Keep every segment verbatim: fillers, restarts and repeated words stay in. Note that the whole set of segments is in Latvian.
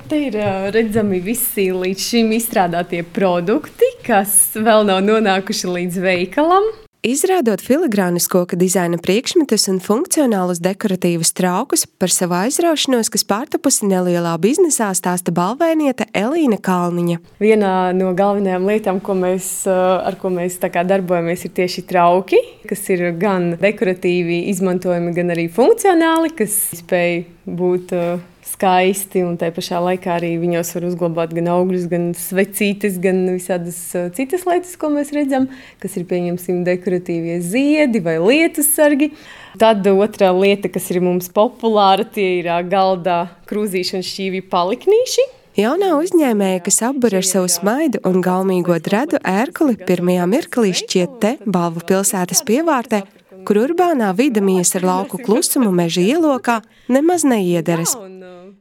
Te ir uh, redzami visi līdz šim izstrādātie produkti, kas vēl nav nonākuši līdz veikalam. Izrādot filigrānas koka dizaina priekšmetus un funkcionālus dekoratīvus traukus, par savu aizraušanos, kas pārtapusi nelielā biznesā, stāsta balvēniete Elīna Kalniņa. Viena no galvenajām lietām, ko mēs, ar ko mēs tā kā darbojamies, ir tieši trauki, kas ir gan dekoratīvi izmantojami, gan arī funkcionāli, kas spēj būt uh, skaisti, un tā pašā laikā arī viņos var uzglabāt gan augļus, gan svecītes, gan visādas citas lietas, ko mēs redzam, kas ir, pieņemsim, dekoratīvie ziedi vai lietus sargi. Tad otrā lieta, kas ir mums populāra, tie ir galdā krūzīši un šķīvi paliknīši. Jaunā uzņēmēja, kas apbur ar savu smaidu un gaumīgo dredu ērkuli, pirmajā mirklī šķiet te, Balvu pilsētas pievārtē, kur urbānā vide mies ar lauku klusumu meža ielokā nemaz neiederas.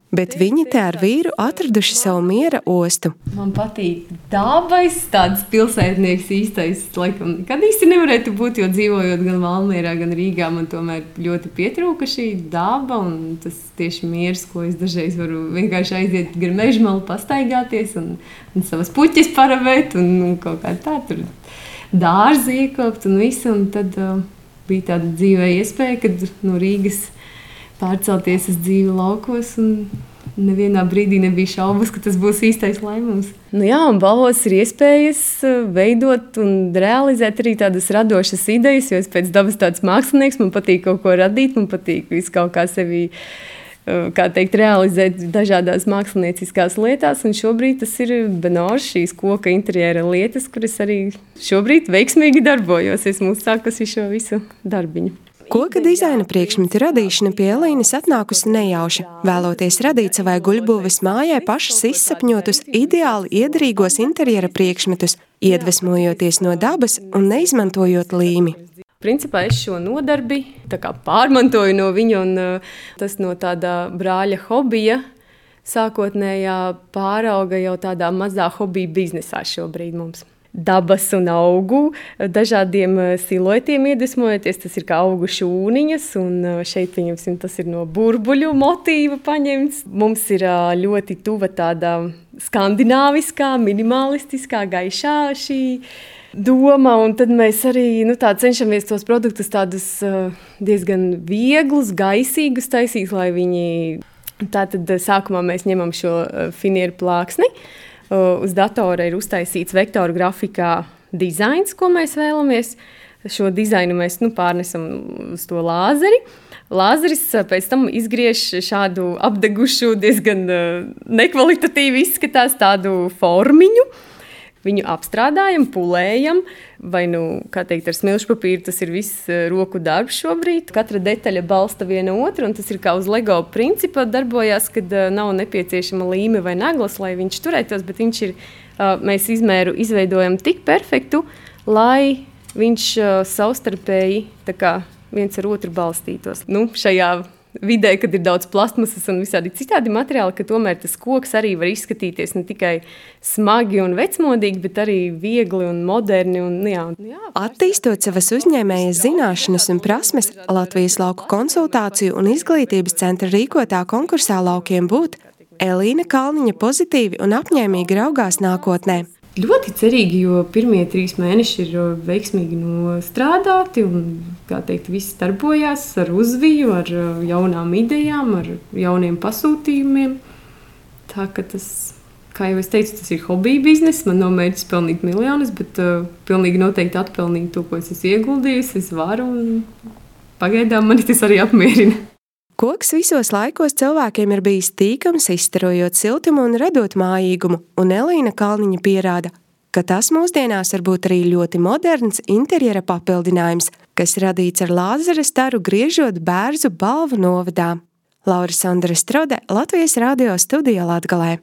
Bet viņi te ar vīru atraduši savu miera ostu. Man patīk dabais, tāds pilsētnieks īstais, laikam, kad īsti nevarētu būt, jo dzīvojot gan Valmierā, gan Rīgā, man tomēr ļoti pietrūka šī daba un tas tieši miers, ko es dažreiz varu vienkārši aiziet gar mežmalu pastaigāties un, un savas puķes paravēt un, un kaut kā tā tur dārzi iekopt un visu, un tad uh, bija tāda dzīvē iespēja, kad no Rīgas pārcelties uz dzīvi laukos, un nevienā brīdī nebija šaubas, ka tas būs īstais lēmums. Nu jā, un Balvos ir iespējas veidot un realizēt arī tādas radošas idejas, jo es pēc dabas tāds mākslinieks, man patīk kaut ko radīt, man patīk visu kaut kā sevi, kā teikt, realizēt dažādās mākslinieciskās lietās, un šobrīd tas ir Benožs, šīs koka interjera lietas, kuras arī šobrīd veiksmīgi darbojos. Esmu uzsākusi šo visu darbiņu. Koka dizaina priekšmetu radīšana pie Elīnas atnākusi nejauši, vēloties radīt savai guļbūves mājai pašas izsapņotus, ideāli iederīgos interjera priekšmetus, iedvesmojoties no dabas un neizmantojot līmi. Principā es šo nodarbi tā kā pārmantoju no viņa, un tas no tāda brāļa hobija sākotnējā pārauga jau tādā mazā hobija biznesā šobrīd mums. Dabas un augu, dažādiem siluetiem iedvesmojoties, tas ir kā augu šūniņas, un šeit, pieņemsim, tas ir no burbuļu motīva paņemts. Mums ir ļoti tuva tāda skandināviskā, minimalistiskā, gaišā šī doma, un tad mēs arī nu, tā, cenšamies tos produktus tādus diezgan vieglus, gaisīgus taisīt, lai viņi... Tātad sākumā mēs ņemam šo finieru plāksni. Uz datora ir uztaisīts vektoru grafikā dizains, ko mēs vēlamies. Šo dizainu mēs nu, pārnesam uz to lāzeri. Lāzeris pēc tam izgriež šādu apdegušu, diezgan nekvalitatīvi izskatās tādu formiņu. Viņu apstrādājam, pulējam, vai, nu, kā teikt, ar smilšu papīru, tas ir viss roku darbs šobrīd. Katra detaļa balsta viena otru, un tas ir kā uz Lego principa darbojās, kad nav nepieciešama līme vai naglas, lai viņš turētos, bet viņš ir, mēs izmēru izveidojam tik perfektu, lai viņš savstarpēji tā kā viens ar otru balstītos. Nu, šajā vidē, kad ir daudz plastmasas un visādi citādi materiāli, ka tomēr tas koks arī var izskatīties ne tikai smagi un vecmodīgi, bet arī viegli un moderni. Un, jā. Attīstot savas uzņēmējas zināšanas un prasmes, Latvijas lauku konsultāciju un izglītības centra rīkotā konkursā Laukiem būt, Elīna Kalniņa pozitīvi un apņēmīgi raugās nākotnē. Ļoti cerīgi, jo pirmie trīs mēneši ir veiksmīgi nostrādāti un, kā teikt, viss darbojās ar uzviju, ar jaunām idejām, ar jauniem pasūtījumiem. Tā ka tas, kā jau es teicu, tas ir hobija biznes. Man nav mērķis pelnīt miljonus, bet uh, pilnīgi noteikti atpelnīt to, ko es esmu ieguldījusi, es varu, un pagaidām mani tas arī apmierina. Koks visos laikos cilvēkiem ir bijis tīkams, izstarojot siltumu un radot mājīgumu, un Elīna Kalniņa pierāda, ka tas mūsdienās var būt arī ļoti moderns interjera papildinājums, kas radīts ar lāzera staru griežot Bērzu Balvu novadā. Laura Sandra Strode, Latvijas radio studija Latgalē.